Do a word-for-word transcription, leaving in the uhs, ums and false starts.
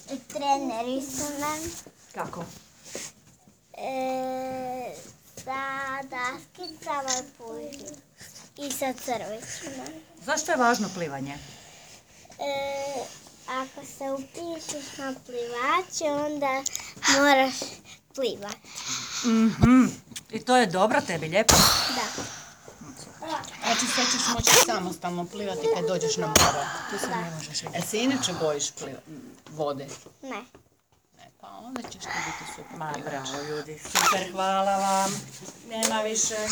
Treneri su nam Kako? e, sa daskicama puži i sa crvećima. Zašto je važno plivanje? E, ako se upišeš na plivače, onda moraš plivati. Mhm. I to je dobro tebi, lijepo? Da. Znači sve ćeš moći samostalno plivati kad dođeš na more. Tu se ne možeš vidjeti. Jel se inače bojiš pliva- vode? Ne. Ne, pa onda ćeš ti biti super Ma plivač. bravo ljudi, super, hvala vam. Nema više.